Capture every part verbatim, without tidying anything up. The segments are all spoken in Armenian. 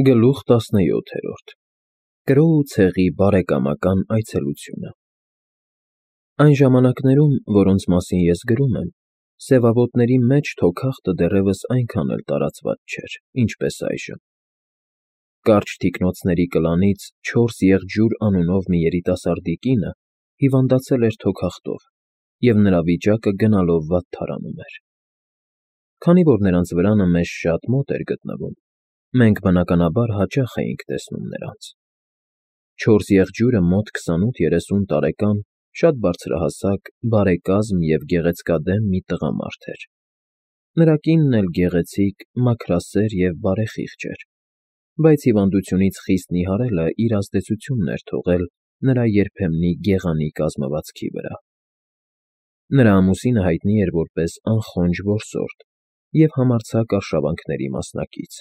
Գլուխ տասնյոթերորդ Կրոու ցեղի բարեկամական այցելությունը Այն ժամանակներում, որոնց մասին ես գրում եմ, սևավոտների մեջ թոքախտը դեռևս այնքան էլ տարածված չէր, ինչպես այժմ. կարճ թիկնոցների կլանից չորս եղջյուր անունով մի երիտասարդի կինը հիվանդացել էր թոքախտով, և նրա վիճակը գնալով վատթարանում էր։ Քանի որ նրանց վրանը մեզ շատ մոտ էր գտնվում, մենք բնականաբար հաճախ էինք տեսնում նրանց։ Չորս եղջյուրը մոտ քսանութ֊երեսուն տարեկան, շատ բարձրահասակ, բարեկազմ և գեղեցկադեմ մի տղամարդ էր։ Նրա կինն էլ գեղեցիկ, մաքրասեր և բարեխիղճ էր, բայց հիվանդությունից խիստ նիհարելը իր ազդեցությունն էր թողել նրա երբեմնի գեղանի կազմվածքի վրա։ Նրա ամուսինը հայտնի էր որպես անխոնջ որսորդ և համարձակ արշավանքների մասնակից։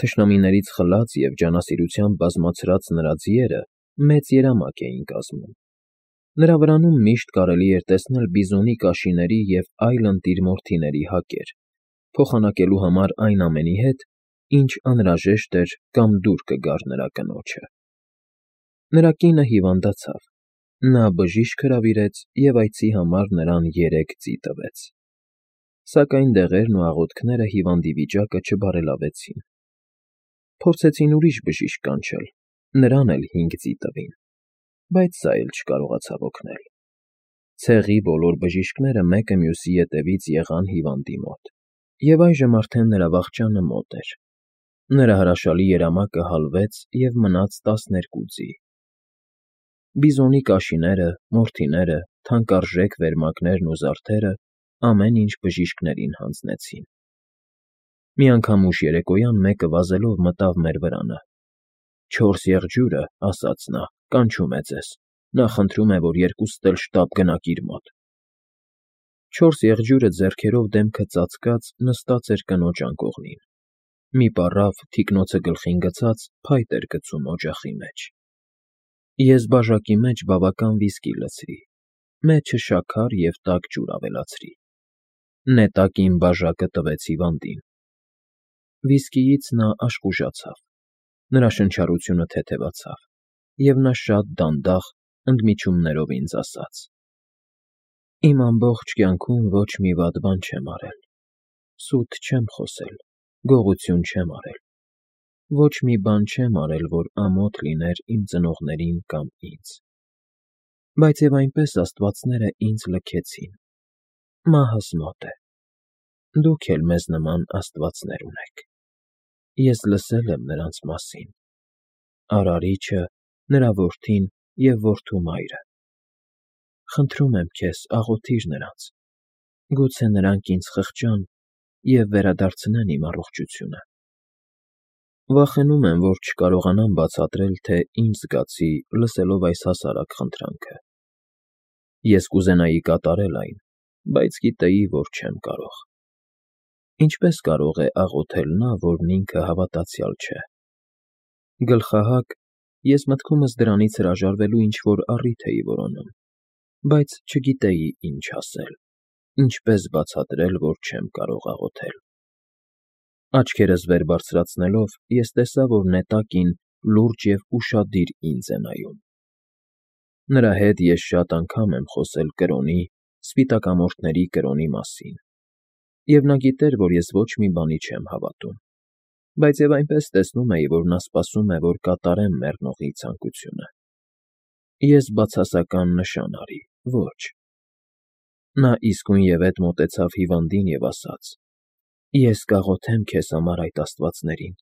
Թշնամիներից խլած և ջանասիրությամբ բազմացրած նրա ձիերը մեծ երամակ էին կազմում։ Նրա վրանում միշտ կարելի էր տեսնել բիզոնի կաշիների և այլ ընտիր մորթիների հակեր, փոխանակելու համար այն ամենի հետ, ինչ անհրաժեշտ էր կամ դուր կգար նրա կնոջը։ Նրա կինը հիվանդացավ, նա բժիշկ հրավիրեց և այցի համար նրան երեք ձի տվեց։ Սակայն դեղերն ու աղոթքները հիվանդի վիճակը չբարելավեցին։ Փորձեցին ուրիշ բժիշկ կանչել, նրան էլ հինգ ձի տվին, բայց սա էլ չկարողացավ օգնել։ Ցեղի բոլոր բժիշկները մեկը մյուսի ետևից եղան հիվանդի մոտ, և այժմ արդեն նրա վախճանը մոտ էր։ Նրա հրաշալի երամակը հալվեց և մնաց տասներկու ձի։ Բիզոնի կաշիները, մորթիները, թանկարժեք վերմակներն ու զարդերը ամեն ինչ բժիշկներին հանձնեցին։ Մի անգամ ուշ երեկոյան մեկը վազելով մտավ մեր վրանը։ «Չորս եղջյուրը, — ասաց նա, — կանչում է ձեզ, նա խնդրում է, որ երկուսդ էլ շտապ գնաք իր մոտ»։ Չորս եղջյուրը ձեռքերով դեմքը ծածկած նստած էր կնոջ անկողնին։ Մի պառավ, թիկնոցը գլխին գցած, փայտ էր գցում օջախի մեջ։ Ես բաժակի մեջ բավական վիսկի լցրի, մեջը շաքար և տաք ջուր ավելացրի։ Նետակ իմ բաժակը տվեց հիվանդին։ Վիսկիից նա աշխուժացավ, նրա շնչառությունը թեթևացավ, և նա շատ դանդաղ, ընդմիջումներով ինձ ասաց. «Իմ ամբողջ կյանքում ոչ մի վատ բան չեմ արել, սուտ չեմ խոսել, գողություն չեմ արել, ոչ մի բան չեմ արել, որ ամոթ լիներ իմ ծնողներին կամ ինձ։ Բայց և այնպես աստվածները ինձ լքեցին։ Մահս մոտ է։ Դուք էլ մեզ նման աստվածներ ունեք։ Ես լսել եմ նրանց մասին՝ Արարիչը, նրա որդին և որդու մայրը։ Խնդրում եմ քեզ, աղոթիր նրանց, գուցե նրանք ինձ խղճան և վերադարձնեն իմ առողջությունը։ Վախենում եմ, որ չկարողանամ բացատրել, թե ինչ զգացի, լսելով այս հասարակ խնդրանքը։ Ես կուզենայի կատարել այն, բայց գիտեի, որ չեմ կարող։ Ինչպե՞ս կարող է աղոթել նա, որն ինքը հավատացյալ չէ։ Գլխահակ, ես մտքումս դրանից հրաժարվելու ինչ-որ առիթ էի որոնում, բայց չգիտեի ինչ ասել, ինչպես բացատրել, որ չեմ կարող աղոթել։ Աչքերս վեր բարձրացնելով, ես տեսա, որ նետակին լուրջ և ուշադիր ինձ է նայում։ Նրա հետ ես շատ անգամ եմ խոսել կրոնի, սպիտակամորթների կրոնի մասին, և նա գիտեր, որ ես ոչ մի բանի չեմ հավատում, բայց և այնպես տեսնում էի, որ նա սպասում է, որ կատարեմ մեռնողի ցանկությունը։ Ես բացասական նշան արի՝ ոչ։ Նա իսկույնևեթ մոտեցավ հիվանդին և ասաց. «Ես կաղոթեմ քեզ համար այդ աստվածներին։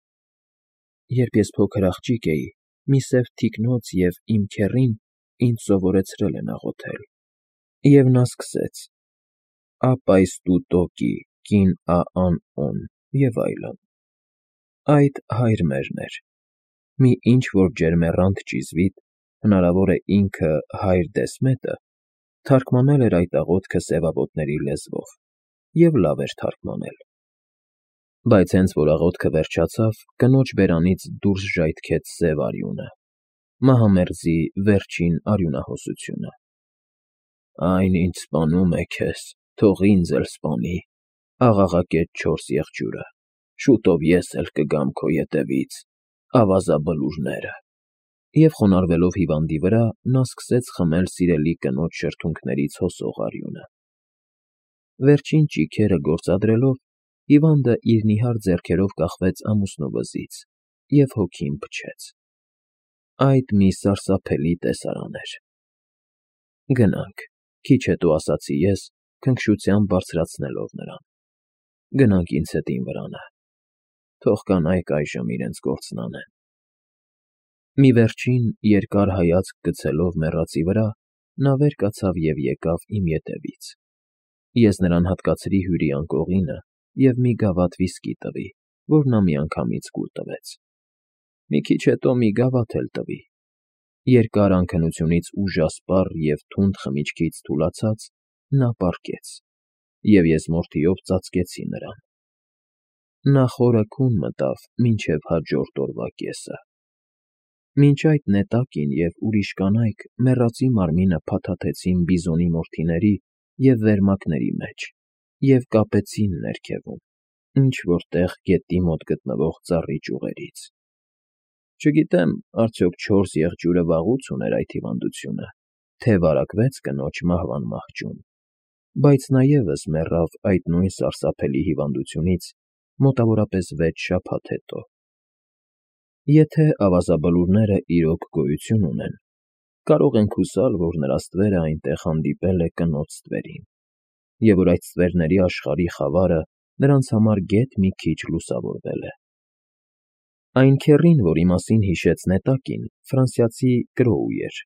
Երբ ես փոքր աղջիկ էի, մի սև թիկնոց և իմ քեռին ինձ սովորեցրել են աղոթել»։ Եվ նա սկսեց. «Ապայս տու տոկի, կին ա ան օն» և այլն։ Այդ հայր մերն էր։ Մի ինչ֊որ ջերմեռանդ ճիզվիտ, հնարավոր է ինքը հայր Դեսմետը, թարգմանել էր այդ աղոթքը սևավոտների լեզվով, և լավ էր թարգմանել։ Բայց հենց որ աղոթքը վերջացավ, կնոջ բերանից դուրս ժայթքեց սև արյունը, մահամերձի վերջին արյունահոսությունը։ «Այն, ինչ սպանում է քեզ, թող ինձ էլ սպանի», աղաղակեց չորս եղջյուրը, շուտով ես էլ կգամ քո ետևից, ավազաբլուրները։ Եվ խոնարհվելով հիվանդի վրա, նա սկսեց խմել սիրելի կնոջ շրթունքներից հոսող արյունը։ Վերջին ճիգերը գործադրելով, հիվանդը իր նիհար ձեռքերով կախվեց ամուսնու վզից և հոգին փչեց։ Այդ մի սարսափելի տեսարան էր։ Գնանք, քիչ հետո ասացի ես, քնքշությամբ բարձրացնելով նրան։ Գնանք ինձ հետ իմ վրանը։ Թող կանայք այժմ իրենց գործն անեն։ Մի վերջին երկար հայացք գցելով մեռածի վրա, նա վեր կացավ և եկավ իմ ետևից։ Ես նրան հատկացրի հյուրի անկողինը և մի գավաթ վիսկի տվի, որ նա միանգամից կուլ տվեց։ Մի քիչ հետո մի գավաթ էլ տվի։ Երկար անքնությունից ուժասպառ և թունդ խմիչքից թուլացած, նա պառկեց, և ես մորթիով ծածկեցի նրան։ Նա խորը քուն մտավ մինչև հաջորդ օրվա կեսը։ Մինչ այդ նետակին և ուրիշ կանայք մեռածի մարմինը փաթաթեցին բիզոնի մորթիների և վերմակների մեջ և կապեցին ներքևում, ինչ֊որ տեղ գետնի մոտ գտնվող ծառի ճյուղերից։ Չգիտեմ, արդյոք չորս եղջյուրը վաղուց ուներ այդ հիվանդությունը, թե վարակվեց կնոջ մահվան մահճում, բայց նա ևս մեռավ այդ նույն սարսափելի հիվանդությունից մոտավորապես վեց շաբաթ հետո։ Եթե ավազաբլուրները իրոք գոյություն ունեն, կարող ենք հուսալ, որ նրա ստվերը այնտեղ հանդիպել է կնոջ ստվերին, և որ այդ ստվերների աշխարհի խավարը նրանց համար գեթ մի քիչ լուսավորվել է։ Այն քեռին, որի մասին հիշեց նետակին, ֆրանսիացի կրոու էր,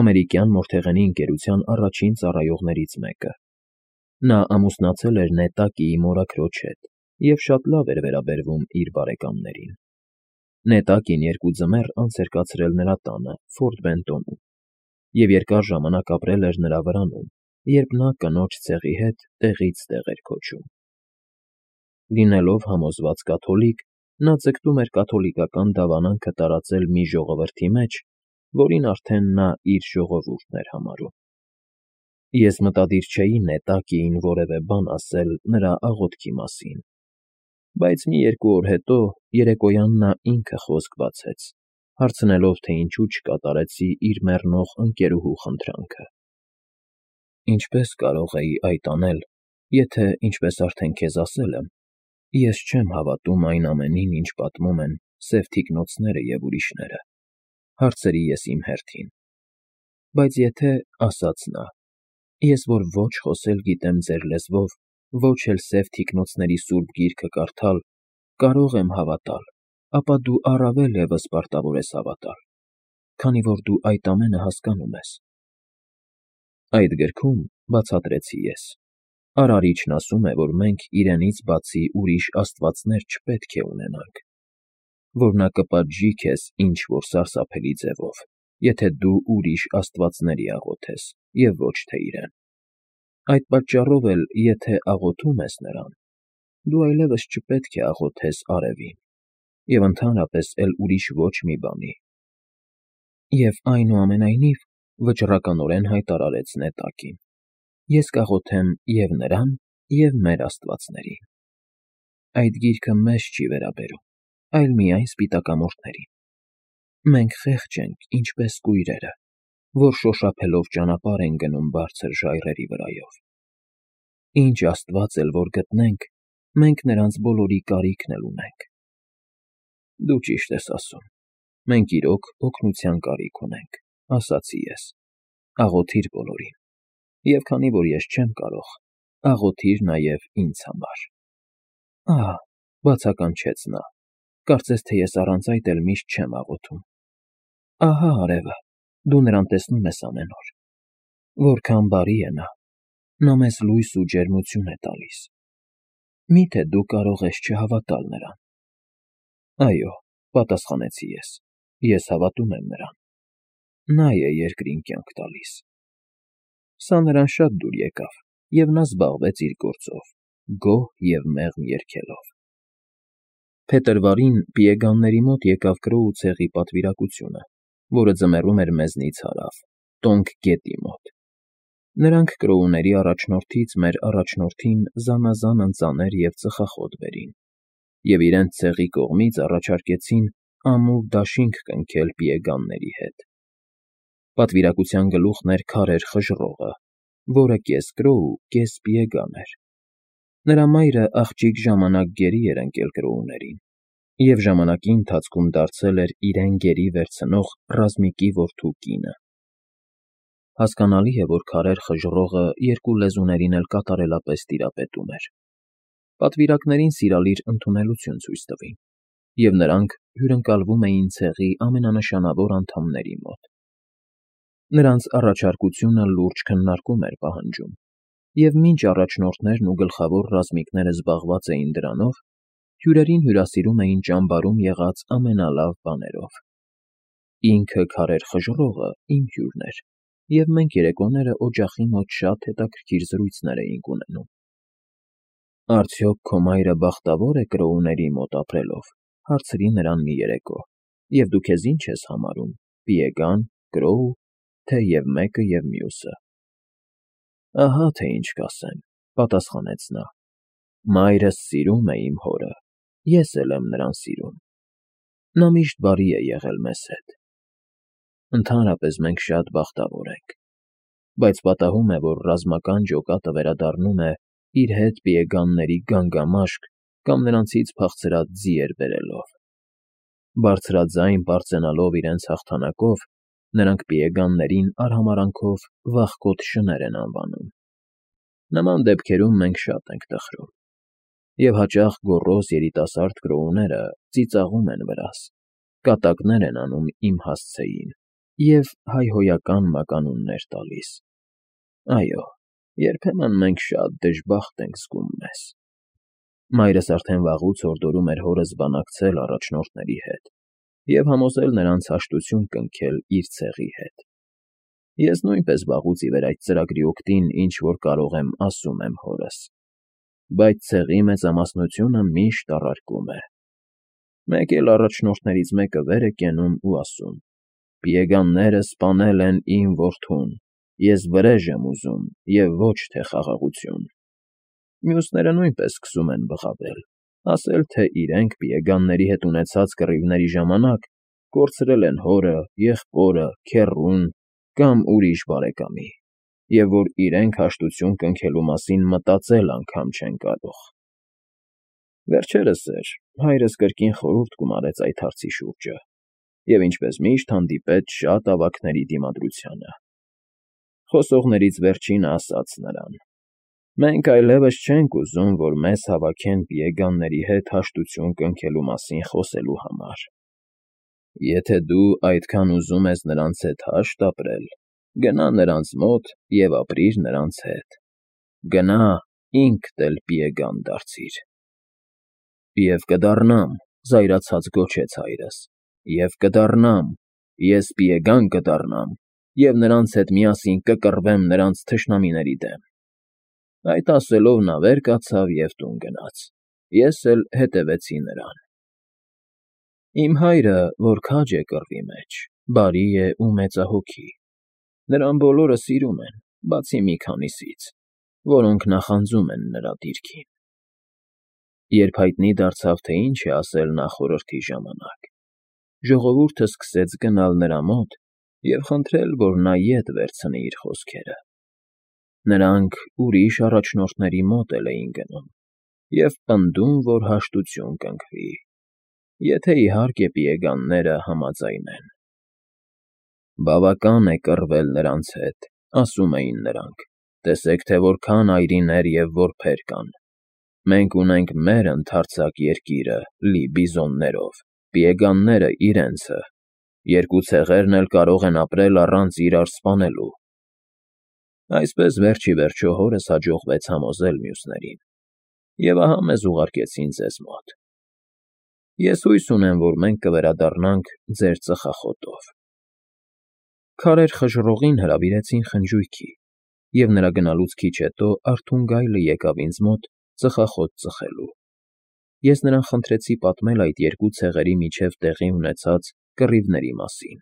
ամերիկյան մորթեղենի ընկերության առաջին ծառայողներից մեկը։ Նա ամուսնացել էր նետակիի մորաքրոջ հետ և շատ լավ էր վերաբերվում իր բարեկամներին։ Նետակին երկու ձմեռ անց էր կացրել նրա տանը Ֆորտ Բենտոնում և երկար ժամանակ ապրել էր նրա վրանում, երբ նա կնոջ ցեղի հետ տեղից տեղ էր քոչում։ Լինելով համոզված կաթոլիկ, նա ձգտում էր կաթոլիկական դավանանքը տարածել մի ժողովրդի մեջ, որին արդեն նա իր ժողովուրդն էր համարում։ Ես մտադիր չէի նետակիին որևէ բան ասել նրա աղոթքի մասին, բայց մի երկու օր հետո երեկոյան նա ինքը խոսք բացեց, հարցնելով, թե ինչու չկատարեցի իր մեռնող ընկերուհու խնդրանքը։ Ինչպե՞ս կարող էի այդ անել, եթե, ինչպես արդեն քեզ ասել եմ, ես չեմ հավատում այն ամենին, ինչ պատմում են սև թիկնոցները և ուրիշները, հարցրի ես իմ հերթին։ Բայց եթե, ասաց նա, ես որ ոչ խոսել գիտեմ ձեր լեզվով, ոչ էլ սև թիկնոցների սուրբ գիրքը կարդալ, կարող եմ հավատալ, ապա դու առավել ևս պարտավոր ես հավատալ, քանի որ դու այդ ամենը հասկանում ես։ Այդ գրքում, բացատրեցի ես, Արարիչն ասում է, որ մենք իրենից բացի ուրիշ աստվածներ չպետք է ունենանք, որ նա կպատժի քեզ ինչ֊որ սարսափելի ձևով, եթե դու ուրիշ աստվածների աղոթես և ոչ թե իրեն։ Այդ պատճառով էլ, եթե աղոթում ես նրան, դու այլևս չպետք է աղոթես արևին և ընդհանրապես էլ ուրիշ ոչ մի բանի։ Եվ այնուամենայնիվ, վճռականորեն հայտարարեց նետակին, ես կաղոթեմ և նրան, և մեր աստվածներին։ Այդ գիրքը մեզ չի վերաբերում, այլ միայն սպիտակամորթներին։ Մենք խեղճ ենք, ինչպես կույրերը, որ շոշափելով ճանապարհ են գնում բարձր ժայռերի վրայով։ Ինչ աստված էլ որ գտնենք, մենք նրանց բոլորի կարիքն էլ ունենք։ Դու ճիշտ ես ասում, մենք իրոք օգնության կարիք ունենք, ասացի ես, աղոթիր բոլորին, և քանի որ ես չեմ կարող, աղոթիր նաև ինձ համար։ Ահա, բացականչեց նա, կարծես թե ես առանց այդ էլ միշտ չեմ աղոթում։ Ահա արևը, դու նրան տեսնում ես ամեն օր։ Որքան բարի է նա, նա մեզ լույս ու ջերմություն է տալիս։ Մի՞թե դու կարող ես չհավատալ նրան։ Այո, պատասխանեցի ես, ես հավատում եմ նրան։ Նա է երկրին կյանք տալիս։ Սա նրան շատ դուր եկավ, և նա զբաղվեց իր գործով, գոհ և մեղմ երգելով։ Փետրվարին Պիեգանների մոտ եկավ Կրոու ցեղի պատվիրակությունը, որը ձմեռում էր մեզնից հարավ, Տոնգ գետի մոտ։ Նրանք կրոուների առաջնորդից մեր առաջնորդին զանազան ընծաներ և ծխախոտ բերին։ և իրենց ցեղի կողմից առաջարկեցին ամուր դաշինք կնքել պիեգանների հետ։ Պատվիրակության գլուխն էր Քարեր Խժռողը, որը կես կրոու, կես պիեգան էր։ Նրա մայրը աղջիկ ժամանակ գերի էր ընկել կրոուներին և ժամանակի ընթացքում դարձել էր իրեն գերի վերցնող Ռազմիկի որդու կինը։ Հասկանալի է, որ Քարեր Խժռողը երկու լեզուներին էլ կատարելապես տիրապետում էր։ Պատվիրակներին սիրալիր ընդունելություն ցույց տվին, և նրանք հյուրընկալվում էին ցեղի ամենանշանավոր անդամների մոտ։ Նրանց առաջարկությունը լուրջ քննարկում էր պահանջում, և մինչ առաջնորդներն ու գլխավոր ռազմիկները զբաղված էին դրանով, հյուրերին հյուրասիրում էին ճամբարում եղած ամենալավ բաներով։ Ինքը Քարեր Խժռողը իմ հյուրն էր, և մենք երեկոները օջախի մոտ շատ հետաքրքիր զրույցներ էինք ունենում։ Արդյոք քո մայրը բախտավո՞ր է կրոուների մոտ ապրելով, հարցրի նրան մի երեկո, և դու քեզ ի՞նչ ես համարում՝ պիեգան, կրոու, թե և մեկը, և մյուսը։ Ահա թե ինչ կասեմ,֊ պատասխանեց նա. մայրս սիրում է իմ հորը, ես էլ եմ նրան սիրում։ Նա միշտ բարի է եղել մեզ հետ։ Ընդհանրապես մենք շատ բախտավոր ենք, բայց պատահում է, որ ռազմական ջոկատը վերադառնում է իր հետ պիեգանների գանգամաշկ կամ նրանցից փախցրած ձիեր բերելով։ Բարձրաձայն պարծենալով իրենց հաղթանակով, նրանք պիեգաններին արհամարհանքով վախկոտ շներ են անվանում։ Նման դեպքերում մենք շատ ենք տխրում, և հաճախ գոռոզ երիտասարդ կրոուները ծիծաղում են վրաս, կատակներ են անում իմ հասցեին և հայհոյական մականուններ տալիս։ Այո, երբեմն մենք շատ դժբախտ ենք զգում մեզ։ Մայրս արդեն վաղուց հորդորում էր հորս բանակցել առաջնորդների հետ և համոզել նրանց հաշտություն կնքել իր ցեղի հետ։ Ես նույնպես վաղուց ի վեր այդ ծրագրի օգտին ինչ֊որ կարող եմ ասում եմ հորս, բայց ցեղի մեծամասնությունը միշտ առարկում է։ Մեկ էլ առաջնորդներից մեկը վեր է կենում ու ասում. «Պիեգանները սպանել են իմ որդուն, ես վրեժ եմ ուզում և ոչ թե խաղաղություն»։ Մյուսները նույնպես սկսում են բղավել, ասել, թե իրենք պիեգանների հետ ունեցած կռիվների ժամանակ կորցրել են հորը, եղբորը, քեռուն կամ ուրիշ բարեկամի, և որ իրենք հաշտություն կնքելու մասին մտածել անգամ չեն կարող։ Վերջերս էր հայրս կրկին խորհուրդ գումարեց այդ հարցի շուրջը և, ինչպես միշտ, հանդիպեց շատ ավագների դիմադրությանը։ Խոսողներից վերջինը ասաց նրան. «Մենք այլևս չենք ուզում, որ մեզ հավաքեն պիեգանների հետ հաշտություն կնքելու մասին խոսելու համար։ Եթե դու այդքան ուզում ես նրանց հետ հաշտ ապրել, գնա նրանց մոտ և ապրիր նրանց հետ։ Գնա, ինքդ էլ պիեգան դարձիր»։ «Եվ կդառնամ,֊ զայրացած գոչեց հայրս,֊ և կդառնամ, ես պիեգան կդառնամ և նրանց հետ միասին կկռվեմ նրանց թշնամիների դեմ»։ Այդ ասելով նա վեր կացավ և տուն գնաց, ես էլ հետևեցի նրան։ Իմ հայրը, որ քաջ է կռվի մեջ, բարի է ու մեծահոգի։ Նրան բոլորը սիրում են, բացի մի քանիսից, որոնք նախանձում են նրա դիրքին։ Երբ հայտնի դարձավ, թե ինչ է ասել նախորդի ժամանակ, ժողովուրդը սկսեց գնալ նրա մոտ և խնդրել, որ նա ետ վերցնի իր խոսքերը։ Նրանք ուրիշ առաջնորդների մոտ էլ էին գնում և պնդում, որ հաշտություն կնքվի, եթե, իհարկե, պիեգանները համաձայնեն։ «Բավական է կռվել նրանց հետ,֊ ասում էին նրանք,֊ տեսեք, թե որքան այրիներ և որբեր կան։ Մենք ունենք մեր ընդարձակ երկիրը լի բիզոններով, պիեգանները՝ իրենցը, երկու ցեղերն էլ կարող են ապրել առանց իրար սպանելու»։ Այսպես վերջ ի վերջո հորս հաջողվեց համոզել մյուսներին, և ահա մեզ ուղարկեցին ձեզ մոտ։ Ես հույս ունեմ, որ մենք կվերադառնանք ձեր ծխախոտով։ Քարեր Խժռողին հրավիրեցին խնջույքի, և նրա գնալուց քիչ հետո արթուն գայլը եկավ ինձ մոտ ծխախոտ ծխելու։ Ես նրան խնդրեցի պատմել այդ երկու ցեղերի միջև տեղի ունեցած կռիվների մասին։